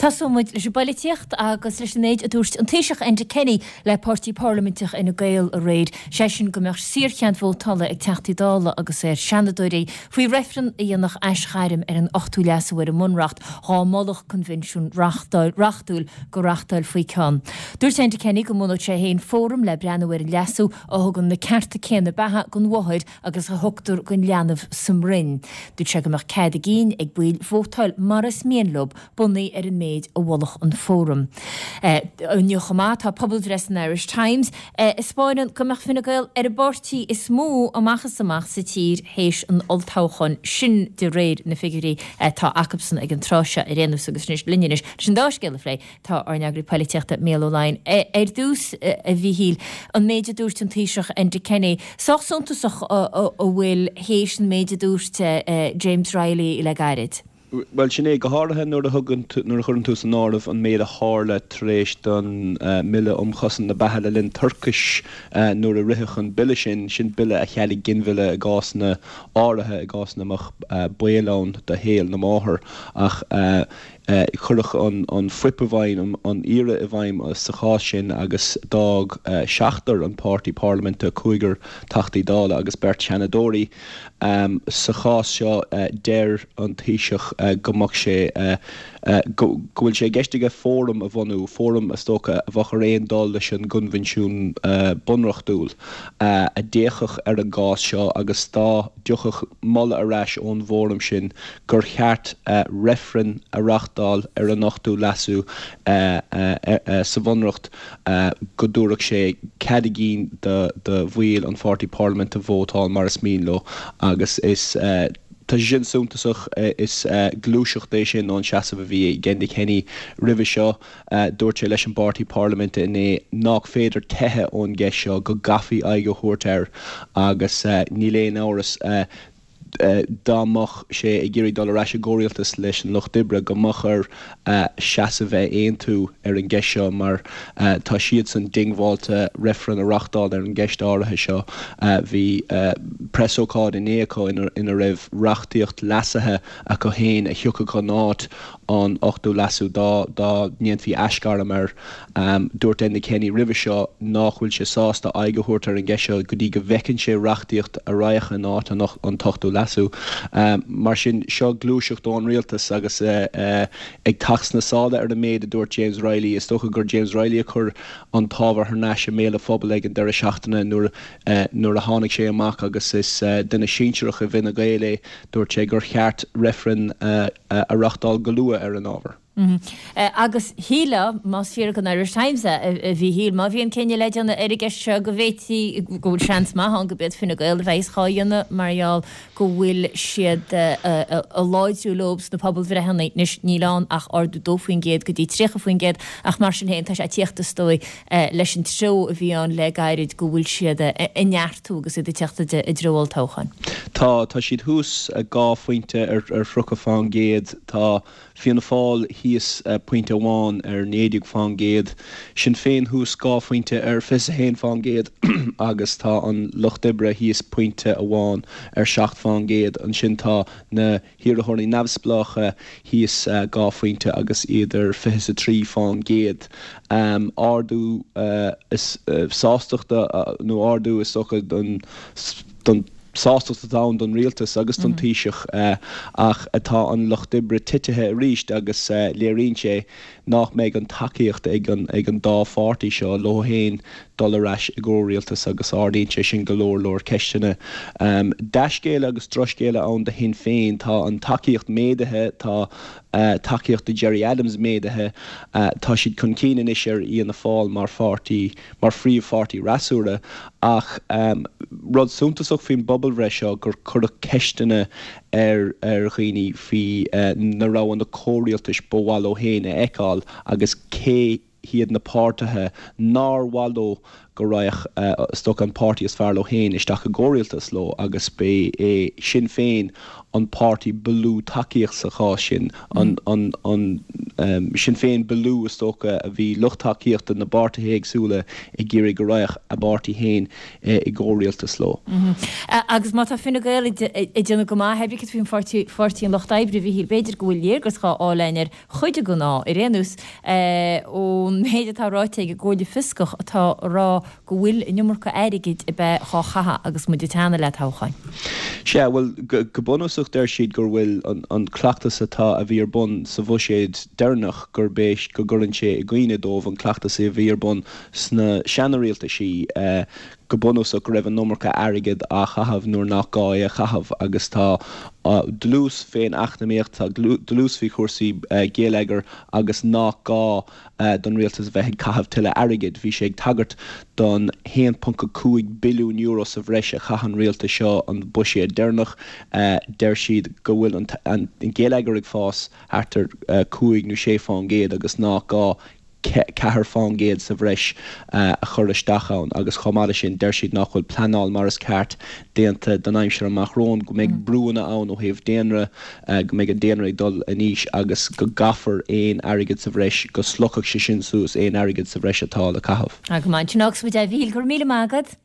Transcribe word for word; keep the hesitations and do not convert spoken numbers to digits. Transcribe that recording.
Tosóidh muid leis an bpolaitíocht agus leis an méid a dúirt an Taoiseach Enda Kenny le páirtí parlaiminteach Fhine Gael aréir, sé sin go mbeadh saorchead vótála ag Teachtaí Dála agus ar Seanadóirí faoi reifreann a dhéanfadh aisghairm ar an ochtú leasú ar an mBunreacht dá molfadh coinbhinsiún reachtúil go reachtálfaí ceann. Dúirt Enda Kenny go mbunódh sé féin fóram le breathnú ar an leasú a thugann na cearta céanna beatha don mháthair agus a thugtar don leanbh sa mbroinn. Dúirt sé go mbeadh cead a gcinn ag baill vótáil mar is mian leo bunaithe ar an méid a mholfadh an fóram. Inniu chomh maith tá pobalbhreith san Irish Times a thaispeánann go mbeadh Fine Gael ar an bpáirtí is mó amach is amach sa tír théis an olltoghcháin sin de réir na figiúirí atá acusan ag an tráth seo ar aon nós agus anois linn anois leis an dá scéal a phlé tá ár n-eagraí polaitíochta Mícheál Ó Laighin. Ar dtús a Mhíchíl an méid a dúirt an Taoiseach Enda Kenny, sách suntasach a bhfuil théis an méid a dúirt James Reilly le gairid. Well sin é go háirithe nuair a thugann nuair a chuireann tú san áireamh an méid a tharla tar éis don mBille um Chosaint na Beatha le linn toirchis nuair a ritheadh an bille sin sin bille a chealaigh ginmhilleadh i gcásanna áirithe i gcás ina mbeadh baol ann do shaol na máthar ach cuireadh an an fuip i bhfeidhm an iarraidh i bhfeidhm sa chás sin agus d'fhág seachtar an páirtí parlaiminte cúigear Teachtaí Dála agus beirt Seanadóirí sa chás seo deir an Taoiseach go mbeadh sé go bhfuil sé i gceist aige fóram a bhunú fóram is dócha a bheadh ar aon dul leis an gcoinbhinsiún bunreachtúil a d'fhéachfadh ar an gcás seo agus dá dtiocfadh moladh ar ais ón bhfóram sin gur cheart reifreann a reachtáil ar an ochtú leasú sa bhunreacht go dtabharfadh sé cead a gcinn do bhaill an pháirtí parlaiminte vótáil mar is mian leo agus is Tá sin suntasach is gluaiseacht é sin ón seasamh a bhí ag Enda Kenny roimhe seo dúirt sé leis an bpáirtí parlaiminte inné nach féidir teitheadh ón gceist seo go gcaithfí aghaidh a thabhairt air agus níl aon amhras dá mbeadh sé ag iarraidh dul ar ais i gcomhrialtas leis an Lucht Oibre go mbeadh air seasamh a aontú ar an gceist seo mar tá siadsan diongbháilte reifreann a reachtáil ar an gceist áirithe seo. Bhí preasócáid inné acu ina raibh reachtaíocht leasaithe acu féin a thiocfadh in áit an ochtú leasú dá dá ndéanfaí aisghairm air. Dúirt Enda Kenny roimhe seo nach bhfuil sé sásta aghaidh a thabhairt ar an gceist seo go dtí go bhfeiceann sé reachtaíocht a raghadh in áit an t-ochtú leasú. Mar sin seo gluaiseacht ón rialtas agus ag teacht sna sála ar an méid a dúirt James Reilly is dócha gur James Reilly a chuir an t-ábhar thar n-ais i mbéal an phobail ag an deireadh seachtaine nuair nuair a tháinig sé amach agus is duine sinsearach i bhFine Gael é dúirt sé gur cheart reifreann a reachtáil go luath ar an ábhar. Agus shílfeá más fíor don Irish Times a Mhíchíl má bhíonn cinneadh le déanamh ar an gceist seo go bhféadfaí go bhfuil seans maith ann go b'iad Fine Gael a bheas á dhéanamh mar gheall go bhfuil siad ag láidriú leo sna pobalbhreitheanna anois níl ann ach ardú dó faoin gcéad go dtí tríocha faoin gcéad ach mar sin féin tá sé ag tíocht is dóigh leis an treo a bhí ann le gairid go bhfuil siad ag neartú agus iad ag teacht i dtreo olltoghcháin. Tá tá siad thuas dhá phointe ar ar tríocha faoin gcéad tá Fianna Fáil thíos pointe amháin ar naoi déag faoin gcéad, Sinn Féin thuas dhá phointe ar fiche haon faoin gcéad agus tá an Lucht Oibre thíos pointe amháin ar seacht faoin gcéad. Ansin tá na hiarrthóirí neamhspleácha thíos dhá phointe agus iad ar fiche a trí faoin gcéad. Ardú is sástachta nó ardú is dócha don don sástacht atá ann don rialtas agus don Taoiseach ach atá an Lucht Oibre titithe arís agus léiríonn sé nach mbeidh an tacaíocht ag an ag an dá pháirtí seo leo féin dul ar ais i gcomhrialtas agus ardaíonn sé sin go leor leor ceisteanna. Dea-scéala agus drochscéala ann do Shinn Féin tá an tacaíocht méadaithe tá tacaíocht do Gerry Adams méadaithe tá siad chun cinn anois ar Fhianna Fáil mar pháirtí mar phríomhpháirtí freasúra ach rud suntasach faoin bpobalbhreith seo gur cuireadh ceisteanna ar ar dhaoine faoi na roghanna comhrialtais ba mhaith leo féin a fheiceáil agus cé hiad na páirtithe nár mhaith leo go raghadh is dócha an páirtí is fearr leo féin isteach i gcomhrialtas leo agus ba é Sinn Féin an páirtí ba lú tacaíocht sa chás sin, an Sinn Féin ba lú is dócha a bhí lucht tacaíochta na bpáirtithe éagsúla ag iarraidh go raghadh a bpáirtí féin i gcomhrialtas leo. Agus má tá Fine Gael ag déanamh go maith, céard faoin Pháirtí an Lucht Oibre, a Mhíchíl, b'fhéidir go bhfuil léargas dhá fháil againn ar chuid den ádh, ar aon nós, ón méid atá ráite ag an gComhairle Fioscach atá a rá go bhfuil an iomarca airgid ag bheith dhá chaitheamh agus muid ag teannadh le toghcháin. Sea, bhuel, go bunúsach deir siad gur bhfuil an cleachtas atá, a bhí ar bun sa bhuiséad deireanach, gurb é, go gcuireann sé i gcuimhne dóibh an cleachtas a bhí ar bun sna seana-rialtaisí, go bunúsach go raibh an iomarca airgid á chaitheamh nuair nach gá é a chaitheamh agus tá dlús fén eacnamaíocht, tá dlús faoi chúrsaí geilleagair agus nach gá don rialtas a bheith ag caitheamh tuilleadh airgid. Bhí sé ag tagairt don haon ponc a cúig billiún euro sa bhreis a chaith an rialtas seo an buiséad deireanach. Deir siad go bhfuil an geilleagar ag fás thart ar cúig nó sé fán gcéad agus nach gá ceathair fán gcéad sa bhreis a chur isteach ann agus chomh maith leis sin deir siad nach bhfuil pleanáil mar is ceart déanta don aimsir amach romhainn, go mbeidh brúanna ann ó thaobh daonra, go mbeidh an daonra ag dul in aois agus go gcaithfear aon airgead sa bhreis, go slogfaidh sé sin suas aon airgead sa bhreis atá le caitheamh. Go maith, sin agus muid a Mhíchíl, go raibh míle maith agat.